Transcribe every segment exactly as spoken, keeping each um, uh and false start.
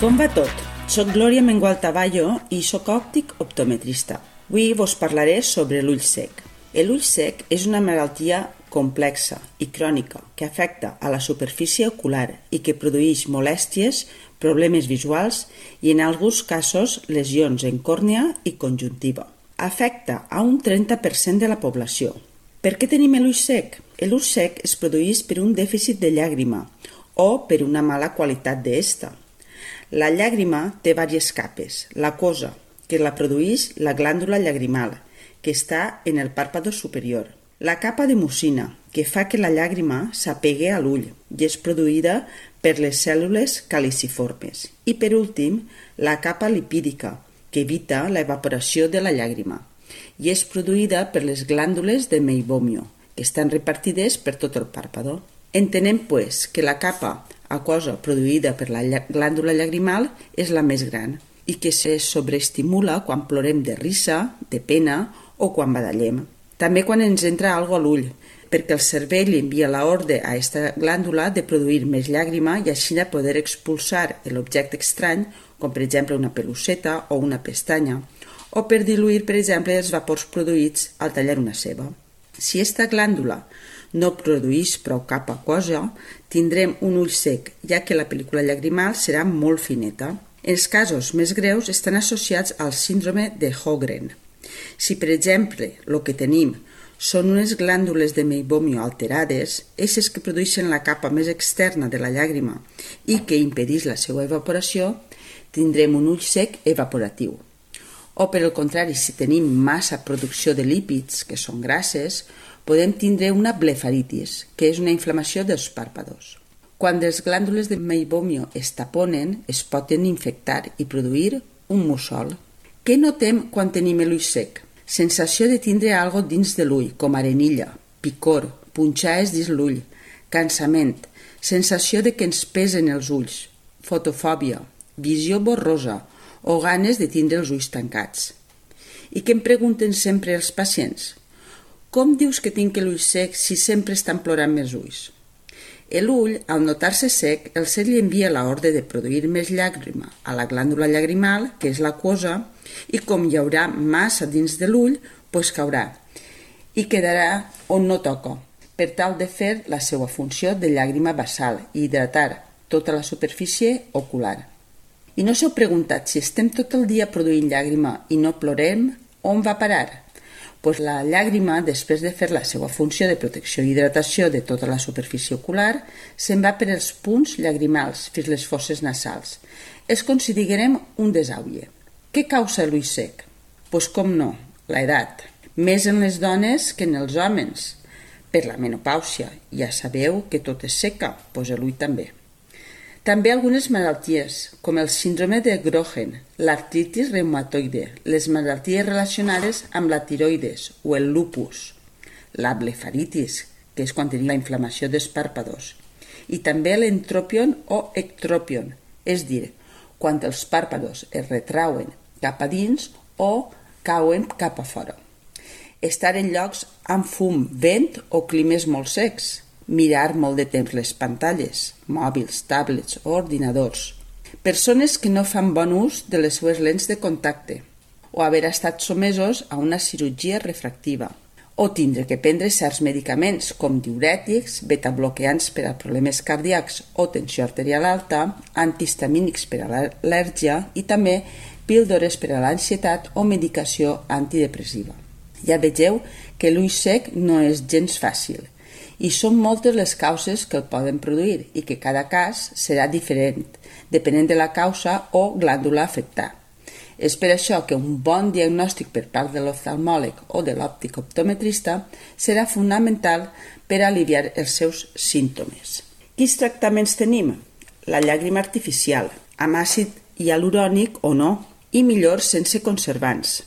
Com va tot? Soc Glòria Mengual Taballo i soc òptic optometrista. Avui vos parlaré sobre l'ull sec. L'ull sec és una malaltia complexa i crònica que afecta a la superfície ocular i que produeix molèsties, problemes visuals i en alguns casos lesions en còrnea i conjuntiva. Afecta a un trenta per cent de la població. Per què tenim l'ull sec? L'ull sec es produeix per un dèficit de llàgrima o per una mala qualitat d'esta. La llàgrima té diverses capes. L'acosa, que la produeix la glàndula llagrimal, que està en el pàrpado superior. La capa de mucina, que fa que la llàgrima s'apegui a l'ull i és produïda per les cèl·lules caliciformes. I per últim, la capa lipídica, que evita l'evaporació de la llàgrima i és produïda per les glàndules de Meibomian, que estan repartides per tot el pàrpado. Entenem, pues, que la capa aquosa produïda per la glàndula llagrimal és la més gran i que se sobreestimula quan plorem de risa, de pena o quan badallem. També quan ens entra algo a l'ull, perquè el cervell envia l'ordre a aquesta glàndula de produir més llàgrima i així poder expulsar l'objecte estrany, com per exemple una peluceta o una pestanya, o per diluir, per exemple, els vapors produïts al tallar una ceba. Si aquesta glàndula no produeix prou capa aquosa, tindrem un ull sec, ja que la pel·lícula llagrimal serà molt fineta. Els casos més greus estan associats al síndrome de Sjögren. Si, per exemple, el que tenim són unes glàndules de Meibomian alterades, eixes que produeixen la capa més externa de la llàgrima i que impedeix la seva evaporació, tindrem un ull sec evaporatiu. O, per el contrari, si tenim massa producció de lípids, que són grasses, podem tindre una blefaritis, que és una inflamació dels pàrpados. Quan les glàndules de Meibomian es taponen, es poden infectar i produir un mussol. Què notem quan tenim l'ull sec? Sensació de tindre algo dins de l'ull, com arenilla, picor, punxades dins l'ull, cansament, sensació de que ens pesen els ulls, fotofòbia, visió borrosa o ganes de tindre els ulls tancats. I què em pregunten sempre els pacients? Com dius que tinc l'ull sec si sempre estan plorant més ulls? L'ull, al notar-se sec, el cel li envia l'ordre de produir més llàgrima a la glàndula llagrimal, que és l'aquosa, i com hi haurà massa dins de l'ull, doncs caurà i quedarà on no toca, per tal de fer la seva funció de llàgrima basal i hidratar tota la superfície ocular. I no s'heu preguntat si estem tot el dia produint llàgrima i no plorem, on va parar? Pues la llàgrima, després de fer la seva funció de protecció i hidratació de tota la superfície ocular, se'n va per els punts llagrimals fins les fosses nasals. És com si diguérem un desàuie. Què causa l'ull sec? Pues com no, l'edat. Més en les dones que en els homes. Per la menopàusia, ja sabeu que tot és seca, pues l'ull també. També algunes malalties, com el síndrome de Sjögren, l'artritis reumatoide, les malalties relacionades amb la tiroides o el lupus, la blefaritis, que és quan tenim la inflamació dels pàrpados, i també l'entropion o ectropion, és dir, quan els pàrpados es retrauen cap a dins o cauen cap a fora. Estar en llocs amb fum, vent o climes molt secs, mirar molt de temps les pantalles, mòbils, tablets o ordinadors. Persones que no fan bon ús de les seues lents de contacte o haver estat somesos a una cirurgia refractiva o tindre que prendre certs medicaments com diürètics, betabloqueants per a problemes cardíacs o tensió arterial alta, antihistamínics per a l'al·lèrgia i també píldores per a l'ansietat o medicació antidepressiva. Ja vegeu que l'ull sec no és gens fàcil i són moltes les causes que el poden produir i que cada cas serà diferent, depenent de la causa o glàndula afectada. És per això que un bon diagnòstic per part de l'oftalmòleg o de l'òptic optometrista serà fonamental per aliviar els seus símptomes. Quins tractaments tenim? La llàgrima artificial, amb àcid hialurònic o no, i millor sense conservants.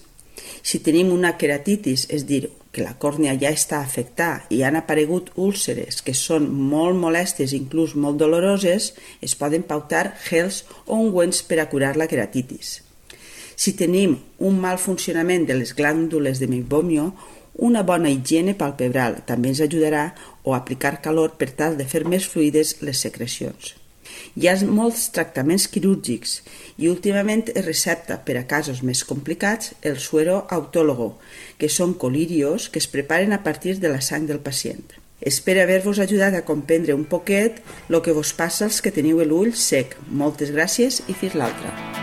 Si tenim una queratitis, és dir, que la còrnea ja està afectada i han aparegut úlceres que són molt molestes i inclús molt doloroses, es poden pautar gels o ungüents per a curar la queratitis. Si tenim un mal funcionament de les glàndules de Meibomian, una bona higiene palpebral també ens ajudarà o aplicar calor per tal de fer més fluides les secrecions. Hi ha molts tractaments quirúrgics i últimament es recepta per a casos més complicats el suero autólogo, que són colirios que es preparen a partir de la sang del pacient. Espero haver-vos ajudat a comprendre un poquet el que vos passa als que teniu l'ull sec. Moltes gràcies i fins l'altra.